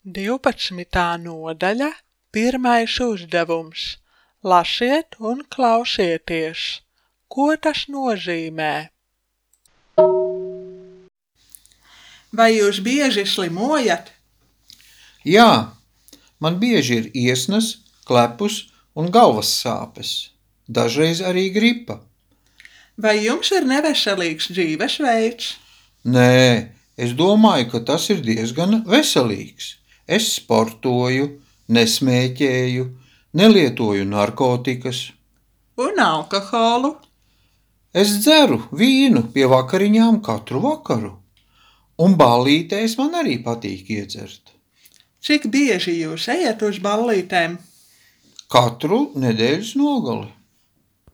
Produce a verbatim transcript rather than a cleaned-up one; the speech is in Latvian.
divpadsmitā nodaļa, pirmais uzdevums. Lasiet un klausieties. Ko tas nozīmē? Vai jūs bieži slimojat? Jā, man bieži ir iesnas, klepus un galvas sāpes. Dažreiz arī gripa. Vai jums ir neveselīgs dzīvesveids? Nē, es domāju, ka tas ir diezgan veselīgs. Es sportoju, nesmēķēju, nelietoju narkotikas. Un alkoholu? Es dzeru vīnu pie vakariņām katru vakaru. Un ballītēs man arī patīk iedzert. Cik bieži jūs ejat uz ballītēm? Katru nedēļas nogali.